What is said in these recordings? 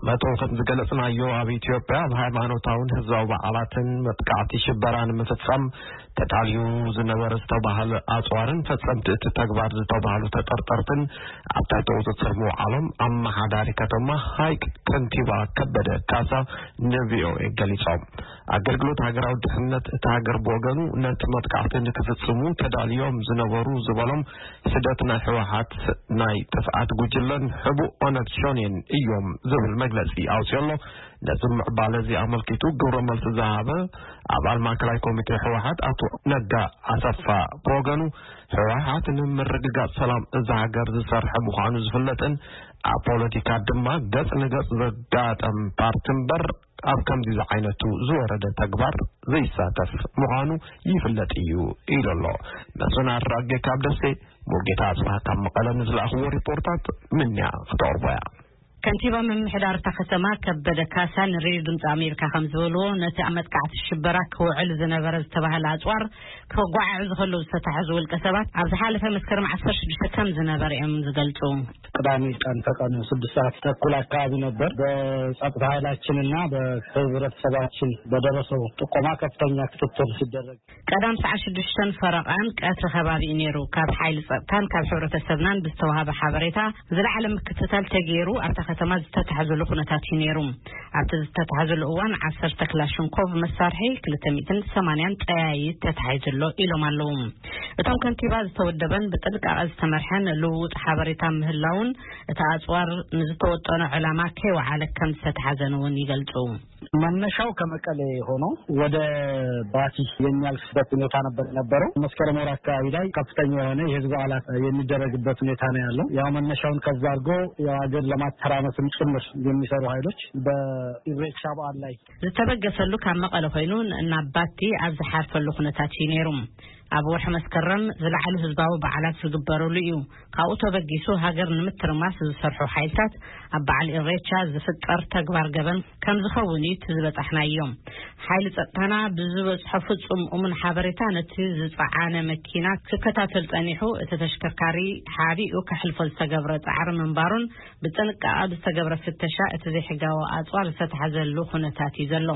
መጠው ከም ዝገለጽናዮ፣ ኣብ ኢትዮጵያ ኣብ ሃይማኖታውን ህዝባዊ በዓላትን መጥቃዕቲ ሽበራ ንምፍጻም ተዳልዩ ዝነበረ ዝተባህለ ኣጽዋርን ፈጸምቲ እቲ ተግባር ዝተባህሉ ተጠርጠርትን ኣብ ትሕቲ ቁጽጽር ምውዓሎም ኣመሓዳሪ ከተማ ሃይቅ ከንቲባ ከበደ ካሳ ን ቪ ኦ ኤ ገሊጾም። ኣገልግሎት ሃገራዊ ድሕነት እቲ ሃገር ብወገኑ፣ ነቲ መጥቃዕቲ ንክፍጽሙ ተዳልዮም ዝነበሩ ዝበሎም ሕደት ናይ ህወሓት ናይ ጥፍኣት ጉጅለን ሕቡእ ኦነግ ሸኔን እዮም ዝብል መግለጺ ኣውፅኦ ኣሎ። ነዚ ምዕባለ እዚ ኣመልኪቱ ግብረ መልሲ ዝሃበ ኣባል ማእከላይ ኮሚቴ ህወሓት ኣቶ ነጋ ኣሰፋ ብወገኑ፣ ህወሓት ንምርግጋፅ ሰላም እዛ ሃገር ዝሰርሐ ምዃኑ ዝፍለጥን ኣብ ፖለቲካ ድማ ገፅ ንገፅ ዘጋጠም ፓርቲ እምበር ኣብ ከምዚ ዝዓይነቱ ዝወረደ ተግባር ዘይሳተፍ ምዃኑ ይፍለጥ እዩ ኢሉ ኣሎ። መስፍን ኣራጌ ካብ ደሴ፣ ሙሉጌታ ኣጽብሃ ካብ መቐለ ንዝለኣኽዎ ሪፖርታት ምንያ ክተቕርቦ እያ። ከንቲባ ምምሕዳር እታ ከተማ ከበደ ካሳ ንሬድዮ ድምፂ ኣሜሪካ ከም ዝበልዎ፣ ነቲ ኣብ መጥቃዕቲ ሽበራ ክውዕል ዝነበረ ዝተባህለ ኣፅዋር ከጓዓዕዙ ከለዉ ዝተታሕዙ ውልቀ ሰባት ኣብ ዝሓለፈ መስከረም ዓሰርተ ሽዱሽተ ከም ዝነበረ እዮም ዝገልፁ። ቅዳሜ ቀን ከቀኑ ስድስት ሰዓት ተኩል አካባቢ ነበር። በጸጥታ ኃይላችንና በህብረተሰባችን በደረሰው ጥቆማ ከፍተኛ ክትትል ሲደረግ። ቀዳም ሰዓት ሽዱሽተን ፈረቓን ቀትሪ ከባቢ እዩ ነይሩ። ካብ ሓይሊ ጸጥታን ካብ ሕብረተሰብናን ብዝተዋሃበ ሓበሬታ ዝለዓለ ምክትታል ተገይሩ ኣብታ ከተማ ዝተታሕዘሉ ኩነታት እዩ ነይሩ። ኣብቲ ዝተታሕዘሉ እዋን ዓሰርተ ክላሽንኮቭ መሳርሒ፣ ክልተ ሚእትን ሰማንያን ጠያይት ተታሒዙ ኣሎ ኢሎም ኣለዉ። እቶም ከንቲባ ዝተወደበን ብጥንቃቐ ዝተመርሐን ልውውጥ ሓበሬታ ምህላውን እቲ ኣጽዋር ንዝተወጠኖ ዕላማ ከይወዓለ ከም ዝተታሕዘን እውን ይገልጹ። መነሻው ከመቀሌ ሆኖ ወደ ባቲ የሚያልፍበት ሁኔታ ነበር የነበረው። መስከረም ወር አካባቢ ላይ ከፍተኛ የሆነ የህዝብ በዓላት የሚደረግበት ሁኔታ ነው ያለው። ያው መነሻውን ከዛ አድርጎ ያው ሀገር ለማተራመስም ጭምር የሚሰሩ ኃይሎች በኢሬቻ በዓል ላይ ዝተበገሰሉ ካብ መቐለ ኮይኑ ናብ ባቲ ኣብ ዝሓርፈሉ ኩነታት እዩ ነይሩ። ኣብ ወርሒ መስከረም ዝለዓሉ ህዝባዊ በዓላት ዝግበረሉ እዩ። ካብኡ ተበጊሱ ሃገር ንምትርማስ ዝሰርሑ ሓይልታት ኣብ በዓል ኢሬቻ ዝፍጠር ተግባር ገበን ከም ዝኸውን እዩ እቲ ዝበጻሕናዮ። ሓይሊ ጸጥታና ብዝበጽሖ ፍጹም እሙን ሓበሬታ ነቲ ዝጸዓነ መኪና ክከታተል ጸኒሑ፣ እቲ ተሽከርካሪ ሓቢኡ ከሕልፎ ዝተገብረ ጻዕሪ ምንባሩን ብጥንቃቐ ብዝተገብረ ፍተሻ እቲ ዘይሕጋዊ ኣጽዋር ዝተታሕዘሉ ኩነታት እዩ ዘሎ።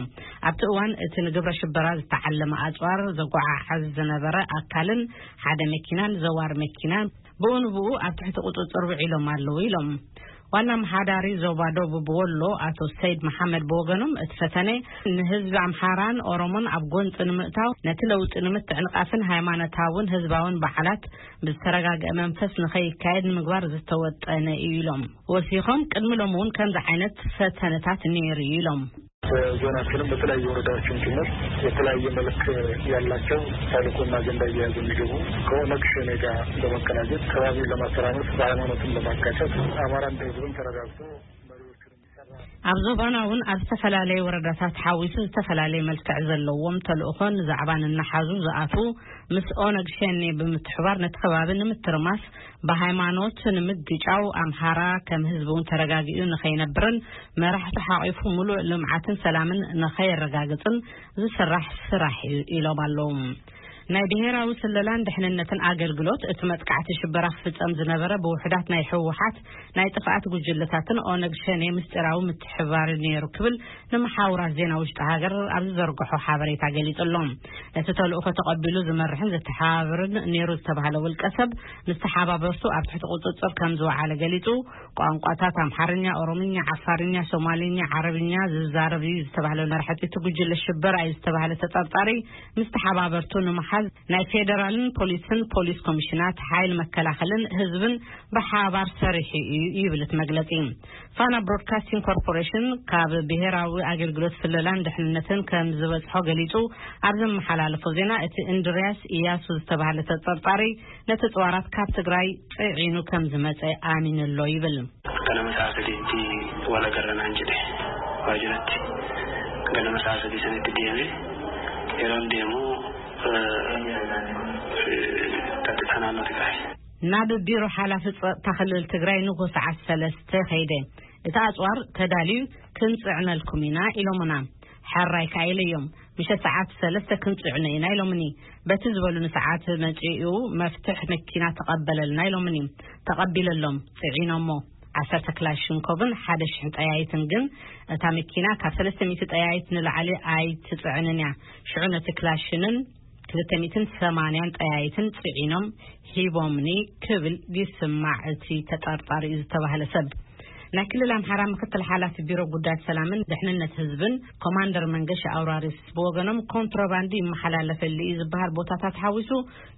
ኣብቲ እዋን እቲ ንግብረ ሽበራ ዝተዓለመ ኣጽዋር ዘጓዓዕዝ ዝነበረ ኣካልን ሓደ መኪናን ዘዋር መኪናን ብኡ ንብኡ ኣብ ትሕቲ ቁጽጽር ውዒሎም ኣለዉ ኢሎም። ዋና ኣመሓዳሪ ዞባ ደቡብ ወሎ ኣቶ ሰይድ መሓመድ ብወገኖም፣ እቲ ፈተነ ንህዝቢ ኣምሓራን ኦሮሞን ኣብ ጎንፂ ንምእታው፣ ነቲ ለውጢ ንምትዕንቃፍን ሃይማኖታውን ህዝባውን በዓላት ብዝተረጋገአ መንፈስ ንኸይካየድ ንምግባር ዝተወጠነ እዩ ኢሎም። ወሲኾም፣ ቅድሚ ሎሚ እውን ከምዚ ዓይነት ፈተነታት ነይሩ እዩ ኢሎም። በዞናችንም በተለያዩ ወረዳዎችም ጭምር የተለያየ መልክ ያላቸው ተልእኮና አጀንዳ እየያዙ የሚገቡ ከኦነግ ሸኔ ጋር በመቀናጀት ከባቢውን ለማተራመስ በሃይማኖትም ለማጋጨት አማራ እንደ ህዝብም ተረጋግቶ መሪዎቹን የሚሰራ ኣብ ዞባና እውን ኣብ ዝተፈላለየ ወረዳታት ሓዊሱ ዝተፈላለየ መልክዕ ዘለዎም ተልእኾን ዛዕባን እናሓዙ ዝኣትዉ ምስ ኦነግ ሸኔ ብምትሕባር ነቲ ከባቢ ንምትርማስ ብሃይማኖት ንምግጫው ኣምሓራ ከም ህዝቢ እውን ተረጋጊኡ ንኸይነብርን መራሕቱ ሓቒፉ ሙሉእ ልምዓትን ሰላምን ንኸየረጋግፅን ዝስራሕ ስራሕ እዩ ኢሎም ኣለዉ። ናይ ብሄራዊ ስለላን ድሕንነትን ኣገልግሎት እቲ መጥቃዕቲ ሽበራ ክፍጸም ዝነበረ ብውሑዳት ናይ ህወሓት ናይ ጥፍኣት ጉጅለታትን ኦነግ ሸኔ ምስጢራዊ ምትሕባር ነይሩ ክብል ንመሓውራት ዜና ውሽጢ ሃገር ኣብ ዝዘርግሖ ሓበሬታ ገሊጹ ኣሎ። ነቲ ተልእኾ ተቐቢሉ ዝመርሕን ዘተሓባብርን ነይሩ ዝተባህለ ውልቀ ሰብ ምስ ተሓባበርቱ ኣብ ትሕቲ ቁጽጽር ከም ዝወዓለ ገሊጹ፣ ቋንቋታት ኣምሓርኛ፣ ኦሮምኛ፣ ዓፋርኛ፣ ሶማልኛ፣ ዓረብኛ ዝዛረብ እዩ ዝተባህለ መራሕቲ እቲ ጉጅለ ሽበራ እዩ ዝተባህለ ተጠርጣሪ ምስ ተሓባበርቱ ንምሓዝ ናይ ፌደራልን ፖሊስን ፖሊስ ኮሚሽናት ሓይል መከላኸልን ህዝብን ብሓባር ሰሪሑ እዩ ይብል እቲ መግለጺ። ፋና ብሮድካስቲንግ ኮርፖሬሽን ካብ ብሄራዊ ኣገልግሎት ስለላን ድሕንነትን ከም ዝበጽሖ ገሊጹ፣ ኣብ ዘመሓላለፎ ዜና እቲ እንድርያስ ኢያሱ ዝተባህለ ተጠርጣሪ ነቲ ጽዋራት ካብ ትግራይ ጽዒኑ ከም ዝመጸ ኣሚኑ ኣሎ ይብል። Ganama sa'a sadiitti wal agarranaan jedhe waajiratti. Ganama sa'a sadii sanitti deeme. Yeroon deemu tattixanaan nuti tahe. ናብ ቢሮ ሓላፊ ጸጥታ ክልል ትግራይ ንጎ ሰዓት ሰለስተ ከይደ። እቲ ኣጽዋር ተዳልዩ ክንጽዕነልኩም ኢና ኢሎምና። ሕራይ ከኣ ኢለዮም። ምሸት ሰዓት ሰለስተ ክንጽዕኖ ኢና ኢሎምኒ። በቲ ዝበሉኒ ሰዓት መጺኡ መፍትሕ መኪና ተቐበለልና ኢሎምኒ። ተቐቢለሎም ጽዒኖሞ። ዓሰርተ ክላሽንኮቭን ሓደ ሽሕ ጠያይትን፣ ግን እታ መኪና ካብ ሰለስተ ሚእቲ ጠያይት ንላዕሊ ኣይትጽዕንን እያ። ሽዑ ነቲ ክላሽንን ክልተ ሚእትን ሰማንያን ጠያይትን ጽዒኖም ሂቦምኒ ክብል ይስማዕ እቲ ተጠርጣሪ እዩ ዝተባህለ ሰብ። ናይ ክልል ኣምሓራ ምክትል ሓላፊ ቢሮ ጉዳያት ሰላምን ድሕንነት ህዝብን ኮማንደር መንገሻ ኣውራሪስ ብወገኖም፣ ኮንትሮባንድ ይመሓላለፈሉ እዩ ዝበሃል ቦታታት ሓዊሱ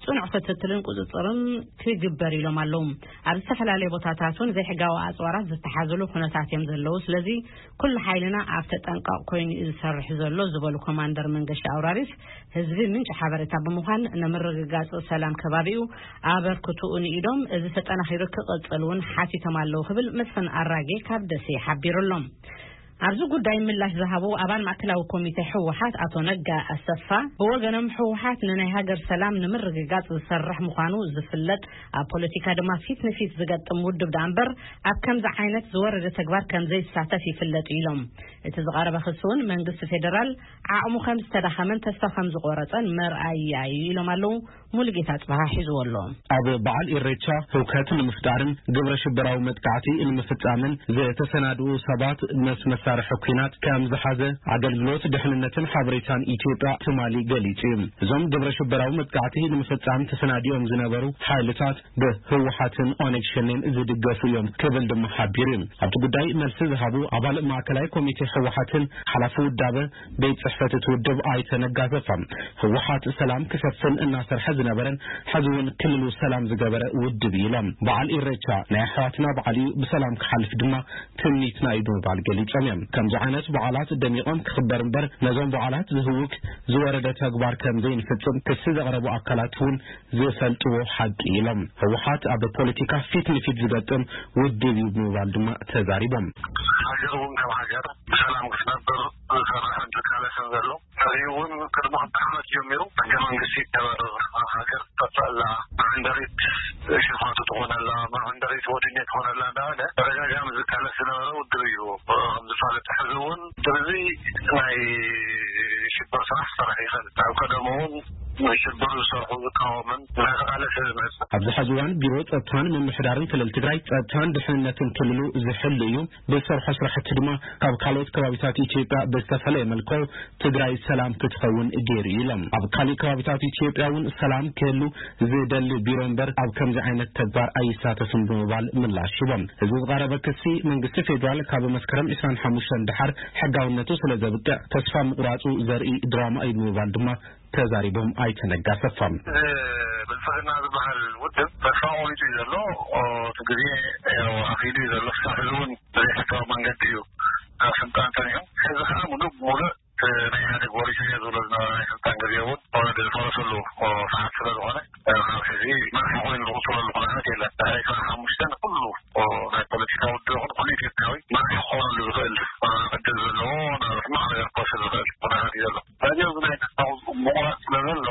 ጽኑዕ ክትትልን ቁጽጽርን ክግበር ኢሎም ኣለዉ። ኣብ ዝተፈላለዩ ቦታታት እውን ዘይሕጋዊ ኣጽዋራት ዝተሓዘሉ ኩነታት እዮም ዘለዉ። ስለዚ ኩሉ ሓይልና ኣብ ተጠንቀቕ ኮይኑ እዩ ዝሰርሕ ዘሎ ዝበሉ ኮማንደር መንገሻ ኣውራሪስ፣ ህዝቢ ምንጪ ሓበሬታ ብምዃን ንምርግጋጽ ሰላም ከባቢኡ ኣበርክትኡ ንኢዶም፣ እዚ ተጠናኺሩ ክቕጽል እውን ሓቲቶም ኣለዉ ክብል መስፍን ኣራጌ ካብ ደሴ ሓቢሩ ኣሎ። ኣብዚ ጉዳይ ምላሽ ዝሃቡ ኣባል ማእከላዊ ኮሚቴ ህወሓት ኣቶ ነጋ ኣሰፋ ብወገኖም፣ ህወሓት ንናይ ሃገር ሰላም ንምርግጋጽ ዝሰርሕ ምዃኑ ዝፍለጥ፣ ኣብ ፖለቲካ ድማ ፊት ንፊት ዝገጥም ውድብ ደኣ እምበር ኣብ ከምዚ ዓይነት ዝወረደ ተግባር ከም ዘይሳተፍ ይፍለጥ ኢሎም። እቲ ዝቐረበ ክሲ እውን መንግስቲ ፌደራል ዓቕሙ ከም ዝተዳኸመን ተስፋ ከም ዝቆረጸን መርኣያ እዩ ኢሎም ኣለዉ። ሙሉጌታ ጽባሃ ሒዝዎ ኣሎ። ኣብ በዓል ኢሬቻ ህውከት ንምፍጣርን ግብረ ሽበራዊ መጥቃዕቲ ንምፍጻምን ዝተሰናድኡ ሰባት ምስ መሳርሒ ኲናት ከም ዝሓዘ ኣገልግሎት ድሕንነትን ሓበሬታን ኢትዮጵያ ትማሊ ገሊጹ እዩ። እዞም ግብረ ሽበራዊ መጥቃዕቲ ንምፍጻም ተሰናዲኦም ዝነበሩ ሓይልታት ብህወሓትን ኦነግ ሸኔን ዝድገፉ እዮም ክብል ድማ ሓቢሩ እዩ። ኣብቲ ጉዳይ መልሲ ዝሃቡ ኣባል ማእከላይ ኮሚቴ ህወሓትን ሓላፊ ውዳበ ቤት ጽሕፈት እቲ ውድብ ኣይተ ነጋ ኣሰፋ፣ ህወሓት ሰላም ክሰፍን እናሰርሐ ዝነበረን ሕዚ እውን ክልሉ ሰላም ዝገበረ ውድብ እዩ ኢሎም። በዓል ኢሬቻ ናይ ኣሕዋትና በዓል እዩ፣ ብሰላም ክሓልፍ ድማ ትምኒትና እዩ ብምባል ገሊጾም እዮም። ከምዚ ዓይነት በዓላት ደሚቖም ክኽበር እምበር ነዞም በዓላት ዝህውክ ዝወረደ ተግባር ከም ዘይንፍጽም ክሲ ዘቕረቡ ኣካላት እውን ዝፈልጥዎ ሓቂ ኢሎም። ህወሓት ኣብ ፖለቲካ ፊት ንፊት ዝገጥም ውድብ እዩ ብምባል ድማ ተዛሪቦም። ሃገር እውን ከም ሃገር ብሰላም ክትነብር ዝሰርሕን ዝቃለስን ዘሎ፣ ሕዚ እውን ቅድሚ ክልተ ዓመት ጀሚሩ ሕገ መንግስቲ ይከበር፣ ሃገር ትጠፍእ ኣላ፣ መዕንደሪት ሽፋቱ ትኾን ኣላ፣ መዕንደሪት ወድኔ ትኾን ኣላ እንዳበለ ተደጋጋሚ ዝቃለስ ዝነበረ ውድብ እዩ። ከም ዝፋለጥ ሕዚ እውን ድርዚ ናይ ሽብር ስራሕ ክሰርሕ ይኽእል። ኣብ ቀደሙ እውን ንሽብር ዝሰርሑ ዝቃወምን እናተቓለሰ ዝመጽእ። ኣብዚ ሕዚ እዋን ቢሮ ጸጥታን ምምሕዳርን ክልል ትግራይ ጸጥታን ድሕንነትን ክልሉ ዝሕሉ እዩ። ብዝሰርሖ ስራሕቲ ድማ ካብ ካልኦት ከባቢታት ኢትዮጵያ ብዝተፈለየ መልክዑ ትግራይ ሰላም ክትኸውን ገይሩ እዩ ኢሎም። ኣብ ካሊእ ከባቢታት ኢትዮጵያ እውን ሰላም ክህሉ ዝደሊ ቢሮ እምበር ኣብ ከምዚ ዓይነት ተግባር ኣይሳተፍን ብምባል ምላሽ ሂቦም። እዚ ዝቐረበ ክሲ መንግስቲ ፌዴራል ካብ መስከረም ዕስራን ሓሙሽተን ደሓር ሕጋውነቱ ስለ ዘብቅዕ ተስፋ ምቑራጹ ዘርኢ ድራማ እዩ ብምባል ድማ ተዛሪቦም ኣይተ ነጋ ኣሰፋ። ብልጽግና ዝበሃል ውድብ ተስፋ ቆሪጹ እዩ ዘሎ። እቲ ግዜ ያው ኣኺሉ እዩ ዘሎ። ክሳብ ሕዚ እውን ብዘይሕጋዊ መንገዲ እዩ ኣብ ስልጣን ጸኒሑ። ሕዚ ከዓ ሙሉእ ብሙሉእ እቲ ናይ ኢህኣዴግ ወሪሱ እየ ዝብሎ ዝነበረ ናይ ስልጣን ግዜ እውን ዝፈረሰሉ ሰዓት ስለ ዝኾነ፣ ካብ ሕዚ መራሒ ኮይኑ ዝቑጽረሉ ኩነታት የለን። ድሕሪ ዕስራን ሓሙሽተን ኩሉ ናይ ፖለቲካ ውድብ ይኹን ኩሉ ኢትዮጵያዊ መራሒ ክኾነሉ ዝኽእል ዕድል ዘለዎ ናብ ሕማቕ ነገር ክወስድ ዝኽእል ኩነታት እዩ ዘሎ። ስለዚ ኣብዚ ናይ ተስፋ ምቑራጽ ስለ ዘሎ፣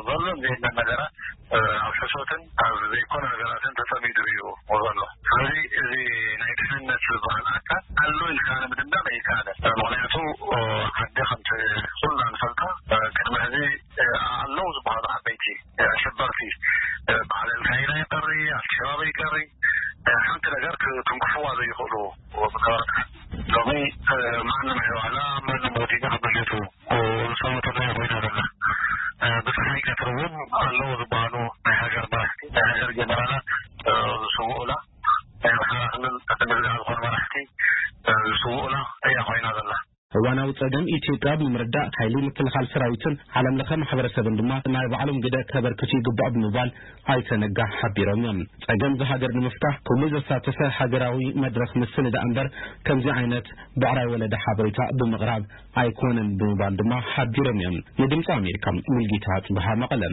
ዘሎ እንዘየለን ነገራት ኣብ ሕሶትን ኣብ ዘይኮነ ነገራትን ተጸሚዱ እዩ ዘሎ። ስለዚ እዚ ናይ ድሕንነት ዝበሃል ኣካል ኣሎ ኢልካ ንምድምዳም ኣይከኣልን። ምኽንያቱ ዓዲ ከምቲ ኩልና ንፈልጣ ቅድሚ ሕዚ ኣለዉ ዝበሃሉ ዓበይቲ ኣሸበርቲ በዓል ኣልካይዳ ይቀሪ፣ ኣልሸባብ ይቀሪ፣ ሓንቲ ነገር ክትንክፍዋ ዘይኽእሉ ዝነበረት ዓዲ ሎሚ ማንም ኣይበዓላ፣ ማንም ወዲና ብድሌቱ ዝሰወተላ ኮይና ዘላ። ብፀሓይ ቀትሪ እውን ኣለዉ ዝበሃሉ ናይ ሃገር መራሕቲ፣ ናይ ሃገር ጀነራላት ዝስውኡላ፣ ናይ ኣምሓራ ክልል ንግዛዕ ዝኾኑ መራሕቲ ዝስውኡላ እያ ኮይና ዘላ። እዋናዊ ጸገም ኢትዮጵያ ብምርዳእ ሓይሊ ምክልኻል ሰራዊትን ዓለም ለኸ ማሕበረሰብን ድማ ናይ ባዕሎም ግደ ከበርክቱ ይግባእ ብምባል ኣይተ ነጋ ሓቢሮም እዮም። ጸገም ዝሃገር ንምፍታሕ ኩሉ ዘሳተፈ ሃገራዊ መድረኽ ምስንዳ እምበር ከምዚ ዓይነት ብዕራይ ወለደ ሓበሬታ ብምቕራብ ኣይኮነን ብምባል ድማ ሓቢሮም እዮም። ንድምፂ ኣሜሪካ ሙልጌታ ጽብሃ መቐለ።